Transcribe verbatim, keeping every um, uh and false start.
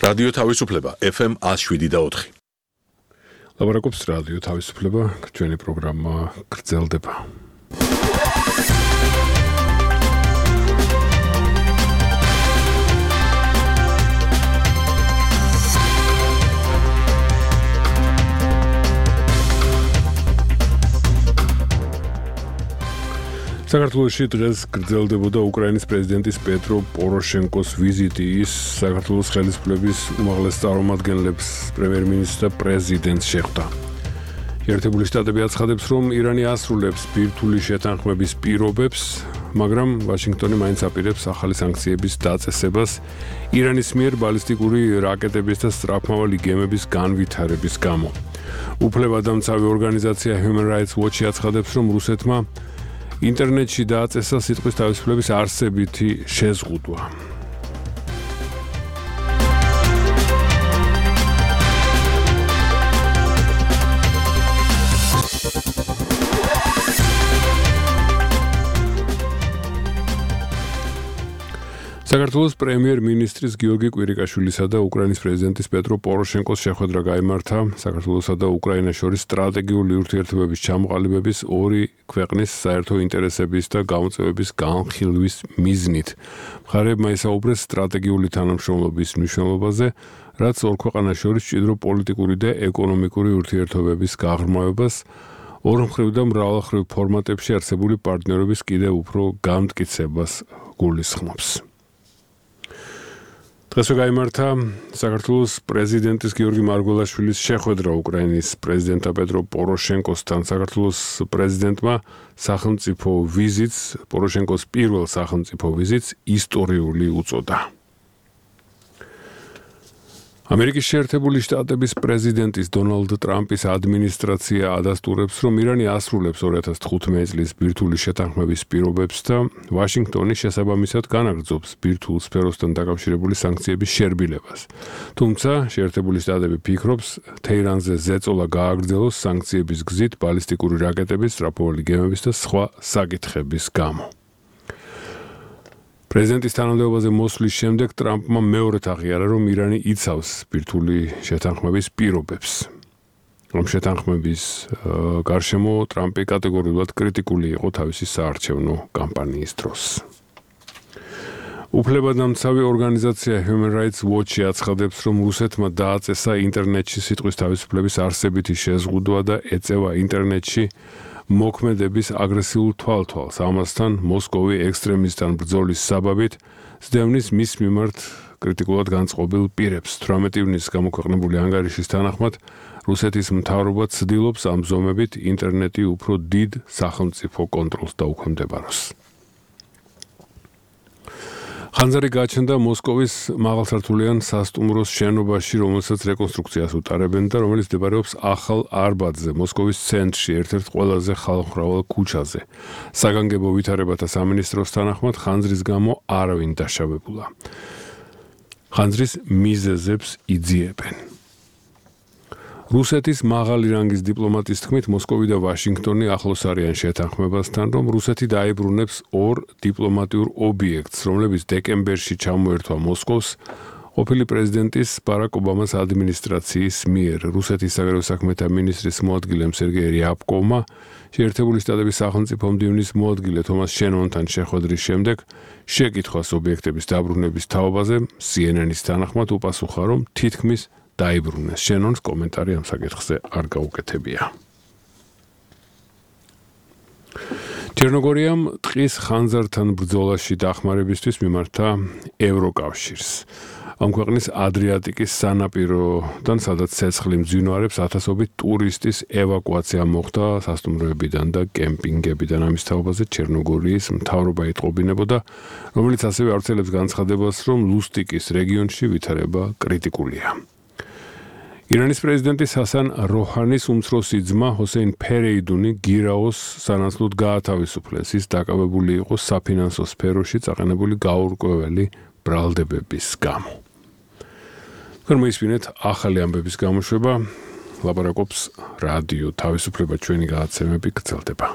რადიო თავისუფლება ეფ ემ one oh seven და four. ლაბარაკობს რადიო თავისუფლება, ჩვენი პროგრამა გრძელდება. საქართველოში დღეს გრძელდებოდა უკრაინის პრეზიდენტის პეტრო პოროშენკოს ვიზიტი. ის საქართველოს ხელისუფლების უმაღლეს წარმომადგენლებს, პრემიერ-მინისტრს და პრეზიდენტს შეხვდა. ერთებული შტატები აცხადებს, რომ ირანი ასრულებს ბირთვული შეთანხმების პირობებს, მაგრამ ვაშინგტონი მაინც აპირებს ახალი სანქციების დაწესებას ირანის მიერ ბალისტიკური რაკეტების და სწრაფმავალი გემების განვითარების გამო. უფლებადამცავი ორგანიზაცია Human Rights Watch აცხადებს, რომ რუსეთმა ინტერნეტში დააწესა სიტყვის თავისუფლების არსებითი შეზღუდვა. საქართველოს პრემიერ-მინისტრის გიორგი კვირიკაშვილისა და უკრაინის პრეზიდენტის პეტრო პოროშენკოს შეხვედრა გაიმართა საქართველოსა და უკრაინას შორის სტრატეგიული ურთიერთობების ჩამოყალიბების ორი ქვეყნის საერთო ინტერესების და გამოწვევების განხილვის მიზნით. მხარეებმა ისაუბრეს სტრატეგიული თანამშრომლობის მნიშვნელობაზე, რაც ორ ქვეყანას შორის მჭიდრო პოლიტიკური და ეკონომიკური ურთიერთობების გაღრმავებას, ორმხრივ და მრავალმხრივ ფორმატებში არსებული პარტნიორობის კიდევ უფრო გამტკიცებას გულისხმობს. დღესვე გაიმართა საქართველოს პრეზიდენტის გიორგი მარგველაშვილის შეხვედრა უკრაინის პრეზიდენტ პეტრო პოროშენკოსთან. საქართველოს პრეზიდენტმა სახელმწიფო ვიზიტს, პოროშენკოს პირველ სახელმწიფო ვიზიტს ისტორიული უწოდა. ამერიკის შეერთებული შტატების პრეზიდენტის დონალდ ტრამპის ადმინისტრაცია ადასტურებს, რომ ირანი ასრულებს two thousand fifteen წლის ბირთვული შეთანხმების პირობებს და ვაშინგტონი შესაბამისად განაგრძობს ბირთვულ სფეროსთან დაკავშირებული სანქციების შერბილებას. თუმცა შეერთებული შტატები ფიქრობს, თეირანზე ზეწოლა გააგრძელოს სანქციების გზით ბალისტიკური რაკეტების, სწრაფმავალი გემების და სხვა საკითხების გამო. პრეზიდენტის თანამდებობაზე მოსვლის შემდეგ ტრამპმა მეორედ აღიარა, რომ ირანი იცავს ბირთვული შეთანხმების პირობებს. რომ შეთანხმების გარშემო ტრამპი კატეგორიულად კრიტიკული იყო თავისი საარჩევნო კამპანიის დროს. უფლებადამცავი ორგანიზაცია Human Rights Watch აცხადებს, რომ რუსეთმა დააწესა ინტერნეტში სიტყვის თავისუფლების არსებითი შეზღუდვა და ეწევა ინტერნეტში მოქმედების აგრესიულ თვალთვალს. ამასთან მოსკოვი ექსტრემისტთან ბრძოლის საბაბით სდევნის მის მიმართ კრიტიკულად განწყობილ პირებს. თვრამეტი ივნისს გამოქვეყნებული ანგარიშის თანახმად რუსეთის მთავრობა ცდილობს ამ ზომებით ინტერნეტი უფრო დიდ სახელმწიფო კონტროლს დაუქვემდებაროს. ხანძარი გაჩნდა მოსკოვის მაღალსართულიან სასტუმროს შენობაში, რომელსაც რეკონსტრუქციას უტარებენ და რომელიც მდებარეობს ახალ არბატზე, მოსკოვის ცენტრში, ერთ-ერთ ყველაზე ხალხმრავალ ქუჩაზე. საგანგებო ვითარებათა სამინისტროს თანახმად ხანძრის გამო არავინ დაშავებულა. ხანძრის მიზეზებს იძიებენ. რუსეთის მაღალი რანგის დიპლომატის თქმით, მოსკოვი და ვაშინგტონი ახლოს არიან შეთანხმებასთან, რომ რუსეთი დაებრუნებს ორ დიპლომატიურ ობიექტს, რომლებიც დეკემბერში ჩამოერთვა მოსკოვს ყოფილი პრეზიდენტის ბარაკ ობამას ადმინისტრაციის მიერ. რუსეთის საგარეო საქმეთა მინისტრის მოადგილემ სერგეი რიაბკოვმა შეერთებული შტატების სახელმწიფო მდივნის მოადგილე თომას შენონთან შეხვედრის შემდეგ შეკითხვას ობიექტების დაბრუნების თაობაზე C N N-ის თანახმად უპასუხა, რომ თითქმის დაიბრუნეს. შენონს კომენტარი ამ საკითხზე არ გაუკეთებია. ჩერნოგორიამ ტყის ხანძართან ბრძოლაში დახმარებისთვის მიმართა ევროკავშირს. ამ ქვეყნის ადრიატიკის სანაპიროდან, სადაც ცეცხლი მძვინვარებს, ათასობით ტურისტის ევაკუაცია მოხდა სასტუმროებიდან და კემპინგებიდან. ამის თაობაზე ჩერნოგორიის მთავრობა იტყობინებოდა, რომელიც ასევე ავრცელებს განცხადებას, რომ ლუსტიკის რეგიონში ვითარება კრიტიკულია. ირანის პრეზიდენტის ჰასან როჰანის უმცროსი ძმა ჰოსეინ ფერეიდუნი გირაოს სანაცვლოდ გაათავისუფლეს. ის დაკავებული იყო საფინანსო სფეროში წაყენებული გაურკვეველი ბრალდებების გამო. თქვენ მოისმინეთ ახალი ამბების გამოშვება, ლაპარაკობს რადიო თავისუფლება, ჩვენი გადაცემები გრძელდება.